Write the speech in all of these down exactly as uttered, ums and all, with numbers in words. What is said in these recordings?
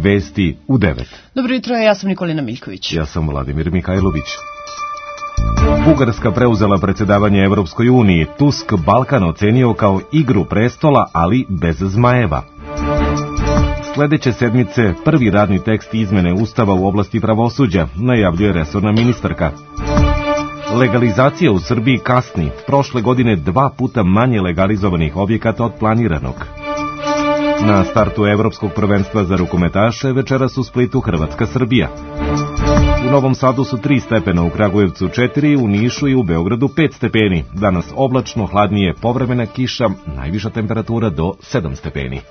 Vesti u devet. Dobro jutro, ja sam Nikolina Miljković. Ja sam Vladimir Mihajlović. Bugarska preuzela predsjedavanje Evropskoj uniji. Tusk Balkan ocenio kao igru prestola, ali bez zmajeva. Sljedeće sedmice prvi radni tekst izmene Ustava u oblasti pravosuđa, najavljuje resorna ministarka. Legalizacija u Srbiji kasni. Prošle godine dva puta manje legalizovanih objekata od planiranog. Na startu Evropskog prvenstva za rukometaše večeras u Splitu Hrvatska-Srbija. U Novom Sadu su tri stepena, u Kragujevcu četiri, u Nišu i u Beogradu pet stepeni. Danas oblačno, hladnije, povremena kiša, najviša temperatura do sedam stepeni.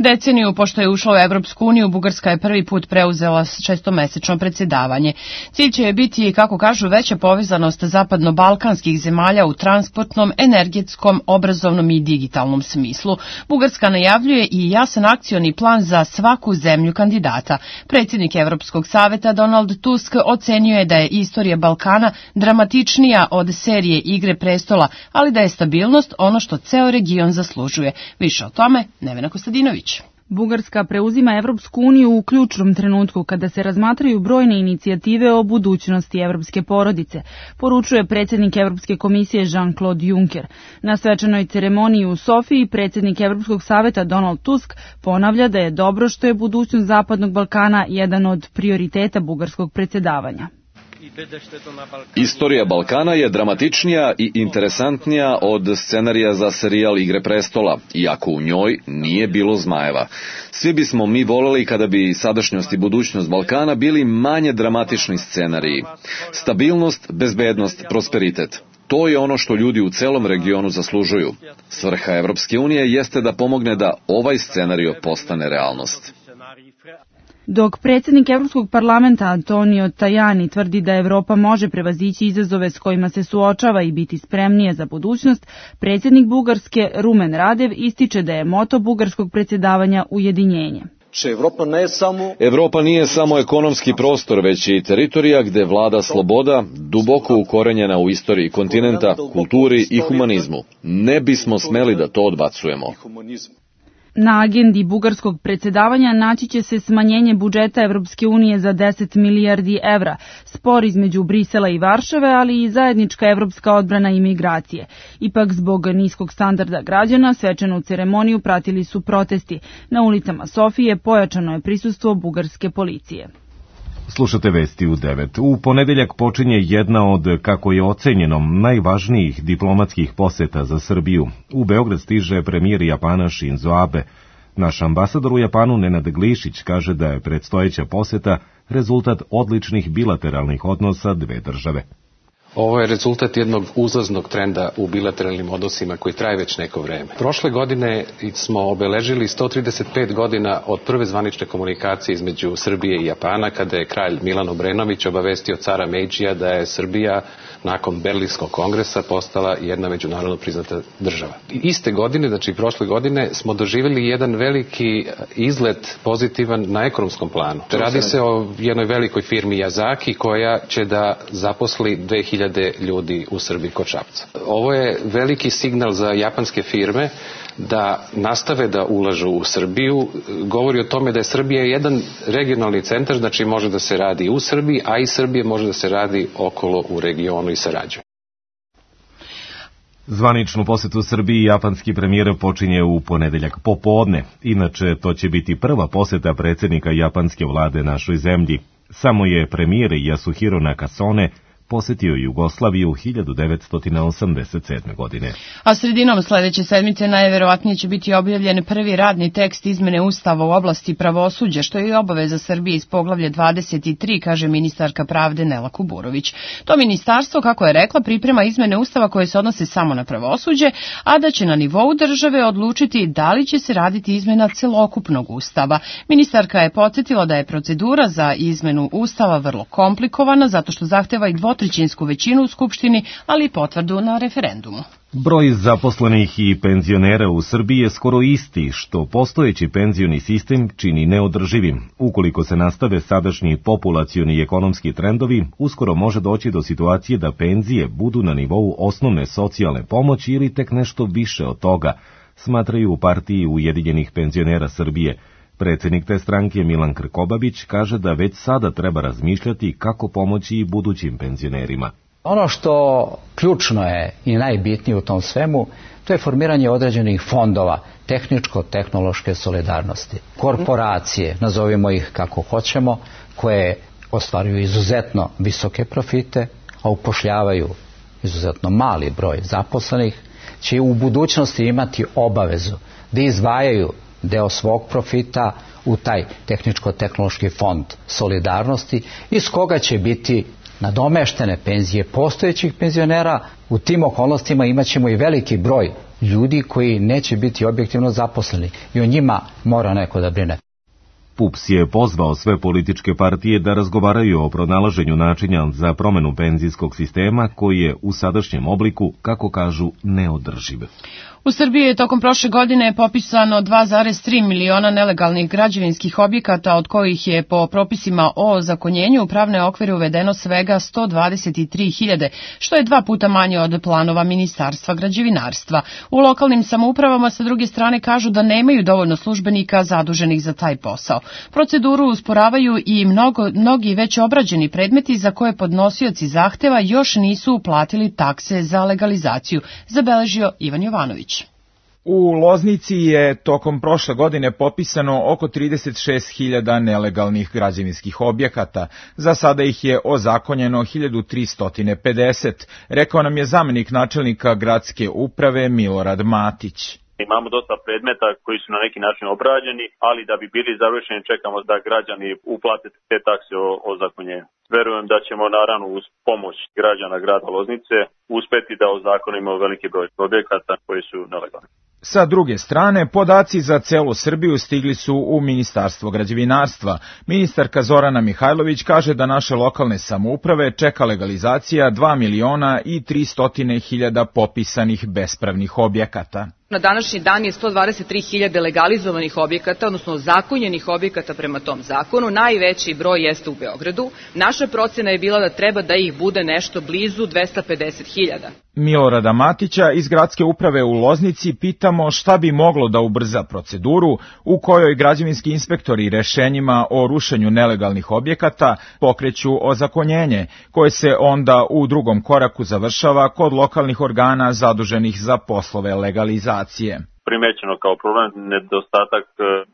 Deceniju pošto je ušla u Evropsku uniju, Bugarska je prvi put preuzela šestomesečno predsjedavanje. Cilj će biti, kako kažu, veća povezanost zapadno-balkanskih zemalja u transportnom, energetskom, obrazovnom i digitalnom smislu. Bugarska najavljuje i jasan akcioni plan za svaku zemlju kandidata. Predsjednik Evropskog saveta Donald Tusk ocenio je da je istorija Balkana dramatičnija od serije Igre prestola, ali da je stabilnost ono što ceo region zaslužuje. Više o tome Nevena Kostadinović. Bugarska preuzima Evropsku uniju u ključnom trenutku kada se razmatraju brojne inicijative o budućnosti evropske porodice, poručuje predsjednik Evropske komisije Jean-Claude Juncker. Na svečanoj ceremoniji u Sofiji predsjednik Evropskog saveta Donald Tusk ponavlja da je dobro što je budućnost Zapadnog Balkana jedan od prioriteta bugarskog predsjedavanja. Istorija Balkana je dramatičnija i interesantnija od scenarija za serijal Igre prestola, iako u njoj nije bilo zmajeva. Svi bismo mi voleli kada bi sadašnjost i budućnost Balkana bili manje dramatični scenariji. Stabilnost, bezbednost, prosperitet. To je ono što ljudi u celom regionu zaslužuju. Svrha Evropske unije jeste da pomogne da ovaj scenario postane realnost. Dok predsjednik Evropskog parlamenta Antonio Tajani tvrdi da Evropa može prevazići izazove s kojima se suočava i biti spremnije za budućnost, predsjednik Bugarske Rumen Radev ističe da je moto bugarskog predsjedavanja ujedinjenje. Evropa nije samo ekonomski prostor, već i teritorija gde vlada sloboda, duboko ukorenjena u istoriji kontinenta, kulturi i humanizmu. Ne bismo smeli da to odbacujemo. Na agendi bugarskog predsjedavanja naći će se smanjenje budžeta Evropske unije za deset milijardi evra, spor između Brisela i Varšave, ali i zajednička evropska odbrana i migracije. Ipak zbog niskog standarda građana svečanu ceremoniju pratili su protesti. Na ulicama Sofije pojačano je prisustvo bugarske policije. Slušate Vesti u devet. U ponedeljak počinje jedna od, kako je ocenjeno, najvažnijih diplomatskih poseta za Srbiju. U Beograd stiže premijer Japana Shinzo Abe. Naš ambasador u Japanu Nenad Glišić kaže da je predstojeća poseta rezultat odličnih bilateralnih odnosa dve države. Ovo je rezultat jednog uzlaznog trenda u bilateralnim odnosima koji traje već neko vreme. Prošle godine smo obeležili sto trideset pet godina od prve zvanične komunikacije između Srbije i Japana, kada je kralj Milan Obrenović obavestio cara Meidžija da je Srbija nakon Berlinskog kongresa postala jedna međunarodno priznata država. Iste godine, znači prošle godine, smo doživjeli jedan veliki izlet pozitivan na ekonomskom planu. Radi se o jednoj velikoj firmi Yazaki koja će da zaposli dve hiljade ljudi u Srbiji kod Šapca. Ovo je veliki signal za japanske firme da nastave da ulažu u Srbiju. Govori o tome da je Srbija jedan regionalni centar, znači može da se radi u Srbiji, a i Srbije može da se radi okolo u regionu i sarađuje. Zvaničnu posetu Srbiji japanski premijer počinje u ponedeljak popodne. Inače, to će biti prva poseta predsjednika japanske vlade našoj zemlji. Samo je premijer Yasuhiro Nakasone posjetio Jugoslaviju hiljadu devetsto osamdeset sedme. godine. A sredinom sljedeće sedmice najverovatnije će biti objavljen prvi radni tekst izmene Ustava u oblasti pravosuđa, što je i obaveza Srbije iz poglavlja dvadeset tri, kaže ministarka pravde Nela Kuburović. To ministarstvo, kako je rekla, priprema izmene Ustava koje se odnose samo na pravosuđe, a da će na nivou države odlučiti da li će se raditi izmena celokupnog Ustava. Ministarka je podsjetila da je procedura za izmenu Ustava vrlo komplikovana, zato što zahteva i dvotrećinsku većinu u Skupštini, ali i potvrdu na referendumu. Broj zaposlenih i penzionera u Srbiji je skoro isti, što postojeći penzioni sistem čini neodrživim. Ukoliko se nastave sadašnji populacioni i ekonomski trendovi, uskoro može doći do situacije da penzije budu na nivou osnovne socijalne pomoći ili tek nešto više od toga, smatraju u partiji Ujedinjenih penzionera Srbije. Predsjednik te stranke Milan Krkobabić kaže da već sada treba razmišljati kako pomoći i budućim penzionerima. Ono što ključno je i najbitnije u tom svemu, to je formiranje određenih fondova tehničko-tehnološke solidarnosti. Korporacije, nazovimo ih kako hoćemo, koje ostvaruju izuzetno visoke profite, a upošljavaju izuzetno mali broj zaposlenih, će u budućnosti imati obavezu da izdvajaju deo svog profita u taj tehničko-tehnološki fond solidarnosti, iz koga će biti nadomeštene penzije postojećih penzionera. U tim okolnostima imat ćemo i veliki broj ljudi koji neće biti objektivno zaposleni i o njima mora neko da brine. PUPS je pozvao sve političke partije da razgovaraju o pronalaženju načina za promenu penzijskog sistema koji je u sadašnjem obliku, kako kažu, neodrživ. U Srbiji je tokom prošle godine popisano dva zarez tri miliona nelegalnih građevinskih objekata, od kojih je po propisima o ozakonjenju u pravne okvire uvedeno svega sto dvadeset tri hiljade, što je dva puta manje od planova Ministarstva građevinarstva. U lokalnim samoupravama sa druge strane kažu da nemaju dovoljno službenika zaduženih za taj posao. Proceduru usporavaju i mnogo, mnogi već obrađeni predmeti za koje podnosioci zahteva još nisu uplatili takse za legalizaciju, zabeležio Ivan Jovanović. U Loznici je tokom prošle godine popisano oko trideset šest hiljada nelegalnih građevinskih objekata. Za sada ih je ozakonjeno hiljadu tristo pedeset, rekao nam je zamenik načelnika gradske uprave Milorad Matić. Imamo dosta predmeta koji su na neki način obrađeni, ali da bi bili završeni čekamo da građani uplate te takse o ozakonjenju. Verujem da ćemo naravno uz pomoć građana grada Loznice uspeti da ozakonimo veliki broj objekata koji su nelegalni. Sa druge strane, podaci za celu Srbiju stigli su u Ministarstvo građevinarstva. Ministarka Zorana Mihajlović kaže da naše lokalne samouprave čeka legalizacija dva miliona i tristo hiljada popisanih bespravnih objekata. Na današnji dan je sto dvadeset tri hiljade legalizovanih objekata, odnosno zakonjenih objekata prema tom zakonu. Najveći broj jeste u Beogradu. Naša procena je bila da treba da ih bude nešto blizu dvesta pedeset hiljada. Milorada Matića iz gradske uprave u Loznici pitamo šta bi moglo da ubrza proceduru u kojoj građevinski inspektori rešenjima o rušenju nelegalnih objekata pokreću ozakonjenje, koje se onda u drugom koraku završava kod lokalnih organa zaduženih za poslove legalizacije. Primećeno kao problem nedostatak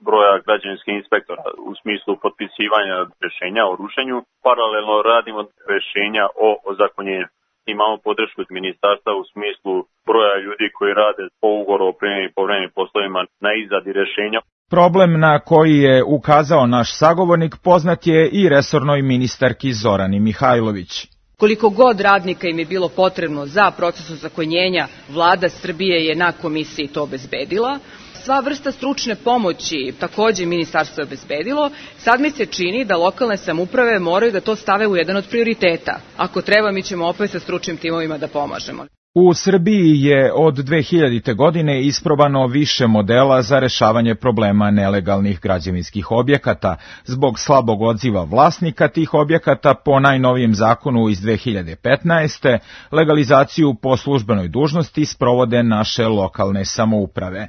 broja građevinskih inspektora u smislu potpisivanja rešenja o rušenju. Paralelno radimo rešenja o ozakonjenju. Imamo podršku od ministarstva u smislu broja ljudi koji rade po ugovoru o privremenim i povremenim poslovima na izradi rešenja. Problem na koji je ukazao naš sagovornik poznat je i resornoj ministarki Zorani Mihajlović. Koliko god radnika im je bilo potrebno za proces ozakonjenja, vlada Srbije je na komisiji to obezbedila. Sva vrsta stručne pomoći takođe ministarstvo je obezbedilo. Sad mi se čini da lokalne samouprave moraju da to stave u jedan od prioriteta. Ako treba, mi ćemo opet sa stručnim timovima da pomažemo. U Srbiji je od dve hiljadite. godine isprobano više modela za rešavanje problema nelegalnih građevinskih objekata. Zbog slabog odziva vlasnika tih objekata po najnovijem zakonu iz dve hiljade petnaeste. legalizaciju po službenoj dužnosti sprovode naše lokalne samouprave.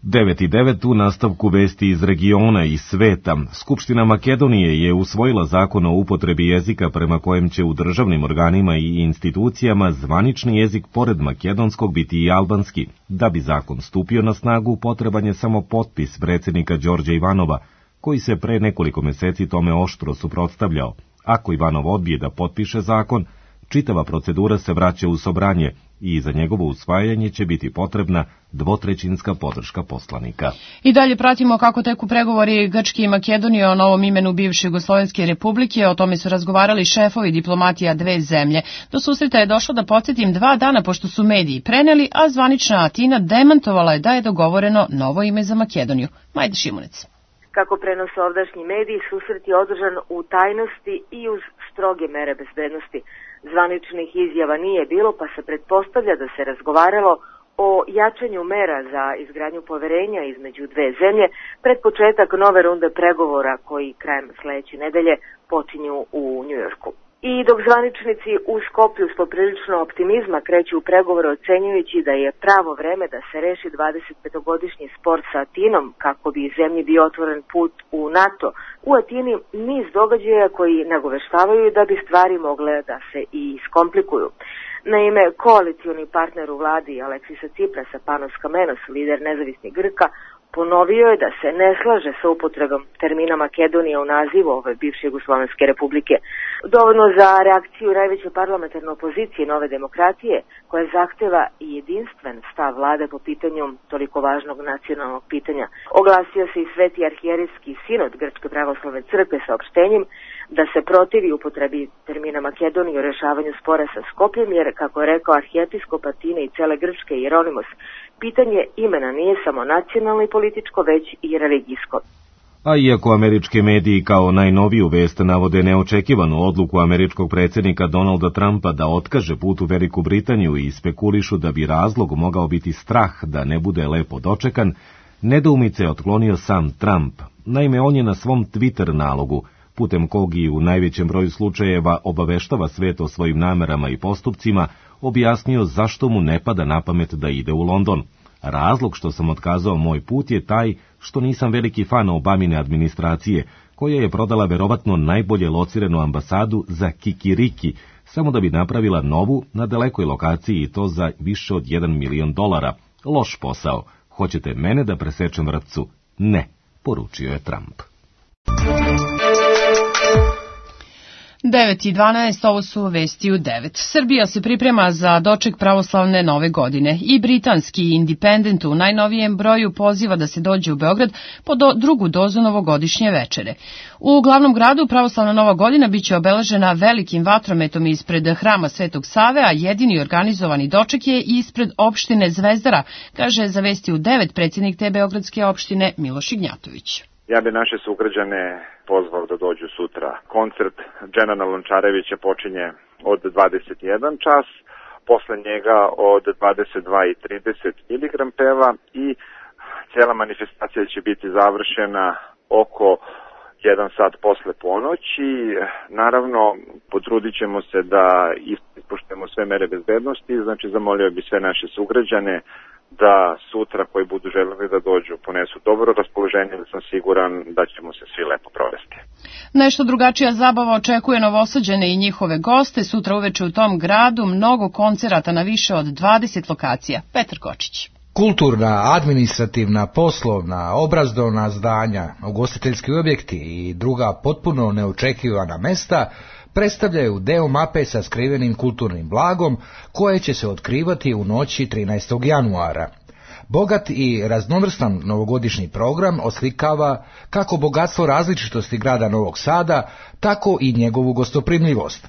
devet i devet u nastavku vesti iz regiona i sveta. Skupština Makedonije je usvojila zakon o upotrebi jezika prema kojem će u državnim organima i institucijama zvanični jezik pored makedonskog biti i albanski. Da bi zakon stupio na snagu, potreban je samo potpis predsjednika Đorđa Ivanova, koji se pre nekoliko meseci tome oštro suprotstavljao. Ako Ivanov odbije da potpiše zakon, čitava procedura se vraća u Sobranje i za njegovo usvajanje će biti potrebna dvotrećinska podrška poslanika. I dalje pratimo kako teku pregovori Grčke i Makedonije o novom imenu bivše Jugoslovenske republike. O tome su razgovarali šefovi diplomatija dve zemlje. Do susreta je došlo, da podsjetim, dva dana pošto su mediji preneli, a zvanična Atina demantovala je da je dogovoreno novo ime za Makedoniju. Majda Šimunec. Kako prenose ovdašnji mediji, susret je održan u tajnosti i uz stroge mere bezbednosti. Zvaničnih izjava nije bilo, pa se pretpostavlja da se razgovaralo o jačanju mera za izgradnju poverenja između dve zemlje pred početak nove runde pregovora koji krajem sledeće nedelje počinju u Njujorku. I dok zvaničnici u Skoplju s poprilično optimizma kreću u pregovore ocenjujući da je pravo vreme da se reši dvadesetpetogodišnji spor sa Atinom kako bi zemlji bio otvoren put u NATO, u Atini niz događaja koji nagoveštavaju da bi stvari mogle da se i iskomplikuju. Naime, koalicioni partner u vladi Aleksisa Ciprasa, Panos Kamenos, lider nezavisnih Grka, ponovio je da se ne slaže sa upotrebom termina Makedonija u nazivu ove bivše Jugoslovenske republike. Dovoljno za reakciju najveće parlamentarne opozicije Nove demokratije, koja zahteva i jedinstven stav vlade po pitanju toliko važnog nacionalnog pitanja. Oglasio se i Sveti arhijerejski sinod Grčke pravoslavne crkve saopštenjem da se protivi upotrebi termina Makedonija u rešavanju spora sa Skopljem, jer, kako je rekao arhijepiskop Atine i cele Grčke Jeronimos, pitanje imena nije samo nacionalno i političko, već i religijsko. A iako američke mediji kao najnoviju vest navode neočekivanu odluku američkog predsjednika Donalda Trumpa da otkaže put u Veliku Britaniju i spekulišu da bi razlog mogao biti strah da ne bude lepo dočekan, nedoumice je otklonio sam Trump. Naime, on je na svom Twitter nalogu, putem kog i u najvećem broju slučajeva obaveštava svet o svojim namerama i postupcima, objasnio zašto mu ne pada na pamet da ide u London. Razlog što sam otkazao moj put je taj što nisam veliki fan Obamine administracije, koja je prodala verovatno najbolje lociranu ambasadu za kikiriki, samo da bi napravila novu na dalekoj lokaciji i to za više od jedan milion dolara. Loš posao. Hoćete mene da presečem vrpcu? Ne, poručio je Trump. devet i dvanaest, ovo su vesti u devet. Srbija se priprema za doček pravoslavne nove godine i britanski Independent u najnovijem broju poziva da se dođe u Beograd po do drugu dozu novogodišnje večere. U glavnom gradu pravoslavna nova godina biće obeležena velikim vatrometom ispred hrama Svetog Save, a jedini organizovani doček je ispred opštine Zvezdara, kaže za vesti u devet predsjednik te beogradske opštine Miloš Ignjatović. Ja bi naše sugrađane pozvao da dođu sutra. Koncert Dženana Lončarevića počinje od dvadeset jedan čas, posle njega od dvadeset dva i trideset miligram peva i cijela manifestacija će biti završena oko jedan sat posle ponoći. Naravno, potrudit ćemo se da ispoštujemo sve mere bezbednosti, znači zamolio bi sve naše sugrađane da sutra koji budu želeli da dođu ponesu dobro raspoloženje, da sam siguran da ćemo se svi lepo provesti. Nešto drugačija zabava očekuje Novosađane i njihove goste. Sutra uveče u tom gradu mnogo koncerata na više od dvadeset lokacija. Petar Kočić. Kulturna, administrativna, poslovna, obrazovna zdanja, ugostiteljski objekti i druga potpuno neočekivana mesta predstavljaju deo mape sa skrivenim kulturnim blagom koje će se otkrivati u noći trinaestog januara. Bogat i raznovrstan novogodišnji program oslikava kako bogatstvo različitosti grada Novog Sada, tako i njegovu gostoprimljivost.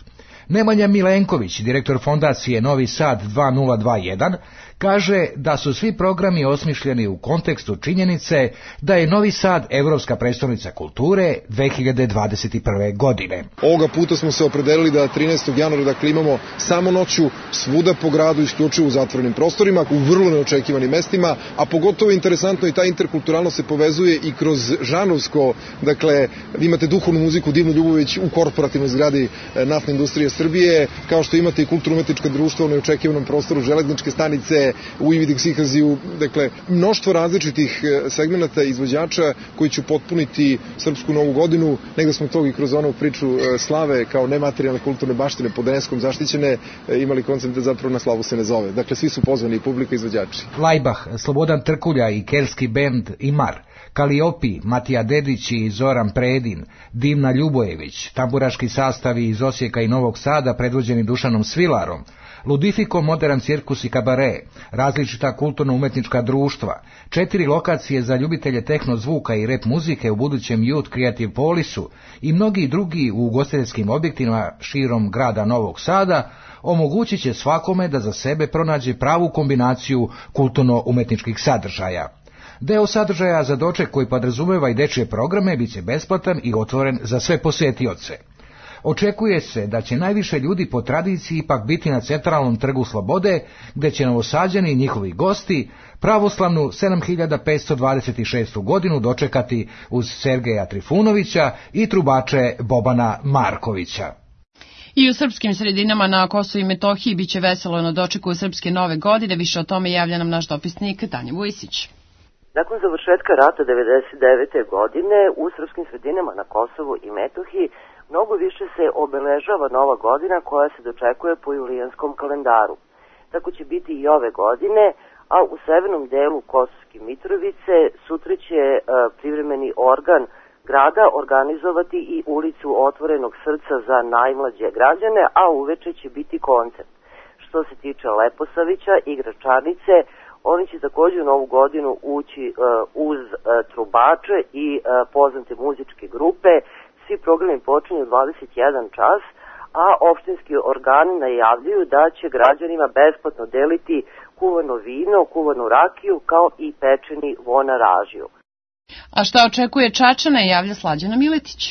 Nemanja Milenković, direktor fondacije Novi Sad dva nula dva jedan, kaže da su svi programi osmišljeni u kontekstu činjenice da je Novi Sad evropska prestolnica kulture dve hiljade dvadeset prve. godine. Ovoga puta smo se opredelili da trinaestog januara dakle imamo samo noću svuda po gradu, isključivo u zatvorenim prostorima, u vrlo neočekivanim mestima, a pogotovo interesantno i ta interkulturalnost se povezuje i kroz žanovsko, dakle vi imate duhovnu muziku Divnu Ljubović u korporativnoj zgradi Naftne industrije Srbije, kao što imate i kulturno-umetnička društva u neočekivanom prostoru Železničke stanice, u Ividiksihaziju, dakle, mnoštvo različitih segmenata izvođača koji će potpuniti srpsku novu godinu. Negde smo to i kroz onu priču slave kao nematerijalne kulturne baštine pod UNESCO-om zaštićene imali koncept da zapravo na slavu se ne zove. Dakle, svi su pozvani i publika i izvođači. Lajbah, Slobodan Trkulja i kelski bend Imar, Kaliopi, Matija Dedić i Zoran Predin, Divna Ljubojević, tamburaški sastavi iz Osijeka i Novog Sada predvođeni Dušanom Svilarom, Ludifiko, Modern cirkus i kabare, različita kulturno-umetnička društva, četiri lokacije za ljubitelje tehno zvuka i rap muzike u budućem Youth Creative Polisu i mnogi drugi u ugostiteljskim objektima širom grada Novog Sada omogućit će svakome da za sebe pronađe pravu kombinaciju kulturno-umetničkih sadržaja. Deo sadržaja za doček koji podrazumeva i dečje programe bit će besplatan i otvoren za sve posjetioce. Očekuje se da će najviše ljudi po tradiciji ipak biti na centralnom trgu Slobode, gde će Novosađani i njihovi gosti pravoslavnu sedam hiljada petsto dvadeset šestu. godinu dočekati uz Sergeja Trifunovića i trubače Bobana Markovića. I u srpskim sredinama na Kosovu i Metohiji biće veselo na dočeku srpske nove godine. Više o tome javlja nam naš dopisnik Tanja Vujsić. Nakon završetka rata devedeset devete. godine u srpskim sredinama na Kosovu i Metohiji mnogo više se obeležava nova godina koja se dočekuje po julijanskom kalendaru. Tako će biti i ove godine, a u severnom delu Kosovske Mitrovice sutra će e, privremeni organ grada organizovati i ulicu Otvorenog srca za najmlađe građane, a uveče će biti koncert. Što se tiče Leposavića i Gračanice, oni će također u novu godinu ući uh, uz uh, trubače i uh, poznate muzičke grupe. Svi programi počinju u dvadeset jedan čas, a opštinski organi najavljuju da će građanima besplatno deliti kuvano vino, kuvanu rakiju, kao i pečeni vonaražiju. A šta očekuje Čačane, javlja Slađana Miletić.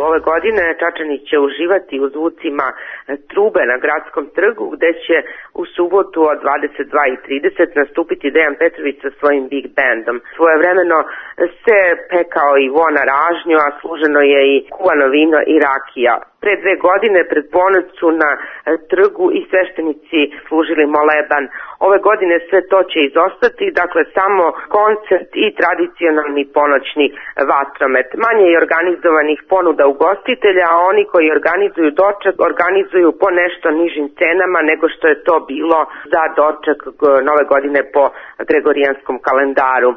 Ove godine Čačani će uživati u zvucima trube na Gradskom trgu, gde će u subotu od dvadeset dva i trideset nastupiti Dejan Petrović sa svojim big bandom. Svojevremeno se pekao i vona ražnju, a služeno je i kuvano vino i rakija. Pre dve godine pred ponoć su na trgu i sveštenici služili moleban. Ove godine sve to će izostati, dakle samo koncert i tradicionalni ponoćni vatromet. Manje je organizovanih ponuda ugostitelja, a oni koji organizuju doček organizuju po nešto nižim cenama nego što je to bilo za doček nove godine po gregorijanskom kalendaru.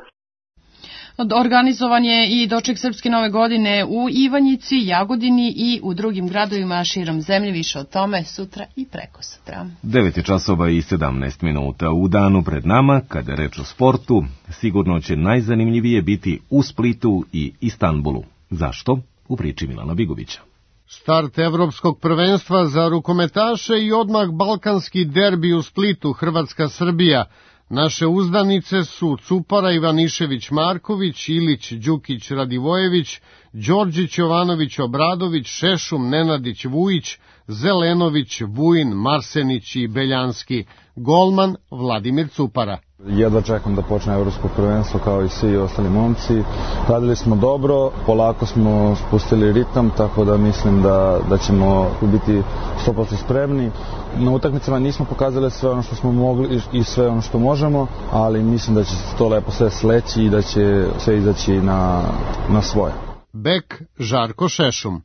Organizovan je i doček srpske nove godine u Ivanjici, Jagodini i u drugim gradovima širom zemlje. Više o tome sutra i preko sutra. devet je časova i sedamnaest minuta. U danu pred nama, kada je reč o sportu, sigurno će najzanimljivije biti u Splitu i Istanbulu. Zašto? U priči Milana Bigovića. Start evropskog prvenstva za rukometaše i odmah balkanski derbi u Splitu, Hrvatska-Srbija. Naše uzdanice su Cupara, Ivanišević-Marković, Ilić, Đukić, Radivojević, Đorđić, Jovanović, Obradović, Šešum, Nenadić, Vujić, Zelenović, Vujin, Marsenić i Beljanski. Golman Vladimir Cupara. Jedva čekam da počne evropsko prvenstvo kao i svi ostali momci. Radili smo dobro, polako smo spustili ritam, tako da mislim da, da ćemo biti sto posto spremni. Na utakmicama nismo pokazali sve ono što smo mogli i sve ono što možemo, ali mislim da će to lepo sve sleći i da će sve izaći na, na svoje. Bek Žarko Šešum.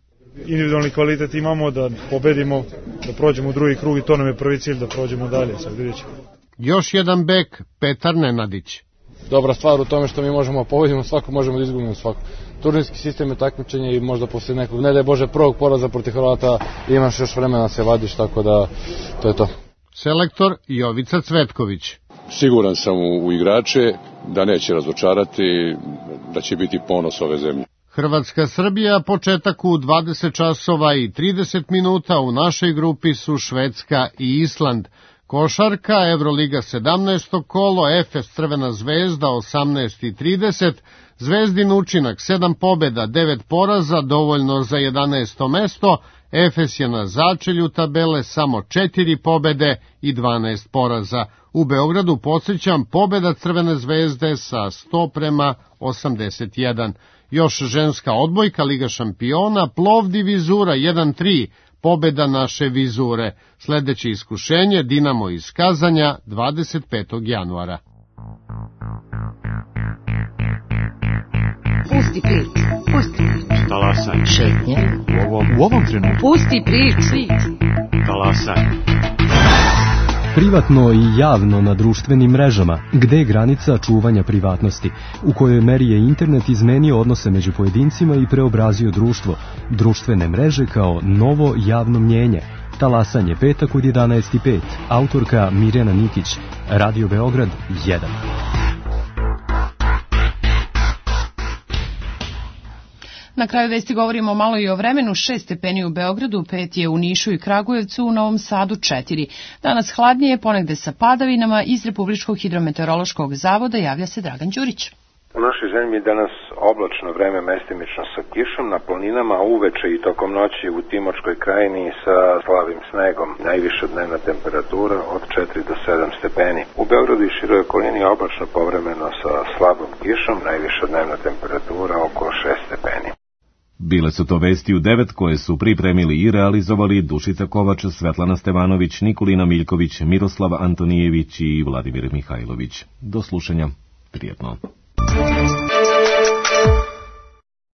Individualni kvalitet imamo da pobedimo, da prođemo u drugi krug i to nam je prvi cilj, da prođemo dalje. Sad vidjet ćemo. Još jedan bek, Petar Nenadić. Dobra stvar u tome što mi možemo pobedimo svako, možemo da izgubimo svako. Turnirski sistem je takmičenje i možda posle nekog, ne daj Bože, prvog poraza protiv Hrvata imaš još vremena se vadiš, tako da to je to. Selektor Jovica Cvetković. Siguran sam u, u igrače da neće razočarati, da će biti ponos ove zemlje. Hrvatska-Srbija, početak u dvadeset časova i trideset minuta, u našoj grupi su Švedska i Island. Košarka, Evroliga sedamnaesto kolo, Efes Crvena zvezda osamnaest i trideset, Zvezdin učinak sedam pobjeda, devet poraza, dovoljno za jedanaesto mesto, Efes je na začelju tabele, samo četiri pobjede i dvanaest poraza. U Beogradu, podsjećam, pobjeda Crvene zvezde sa sto prema osamdeset jedan. Još ženska odbojka, Liga šampiona, Plovdiv Vizura jedan tri, pobjeda naše Vizure. Sljedeće iskušenje, Dinamo iz Kazanja, dvadeset petog januara. Pusti priču, pusti priču. Talasaj. Šetnje. U ovom, u ovom trenutku. Pusti priču. Talasaj. Privatno i javno na društvenim mrežama, gde je granica čuvanja privatnosti, u kojoj meri je internet izmenio odnose među pojedincima i preobrazio društvo, društvene mreže kao novo javno mnjenje. Talasanje, petak od jedanaest i pet, autorka Mirjana Nikić, Radio Beograd jedan. Na kraju vesti govorimo malo i o vremenu. Šest stepeni u Beogradu, pet je u Nišu i Kragujevcu, u Novom Sadu četiri. Danas hladnije, ponegde sa padavinama. Iz Republičkog hidrometeorološkog zavoda javlja se Dragan Đurić. U našoj zemlji danas oblačno vreme, mestimično sa kišom na planinama, a uveče i tokom noći u Timočkoj krajini sa slabim snegom. Najviša dnevna temperatura od četiri do sedam stepeni. U Beogradu i široj okolini oblačno povremeno sa slabom kišom, najviša dnevna temperatura oko šest stepeni. Bile su to vesti u devet koje su pripremili i realizovali Dušica Kovač, Svetlana Stevanović, Nikolina Miljković, Miroslav Antonijević i Vladimir Mihajlović. Do slušanja. Prijetno.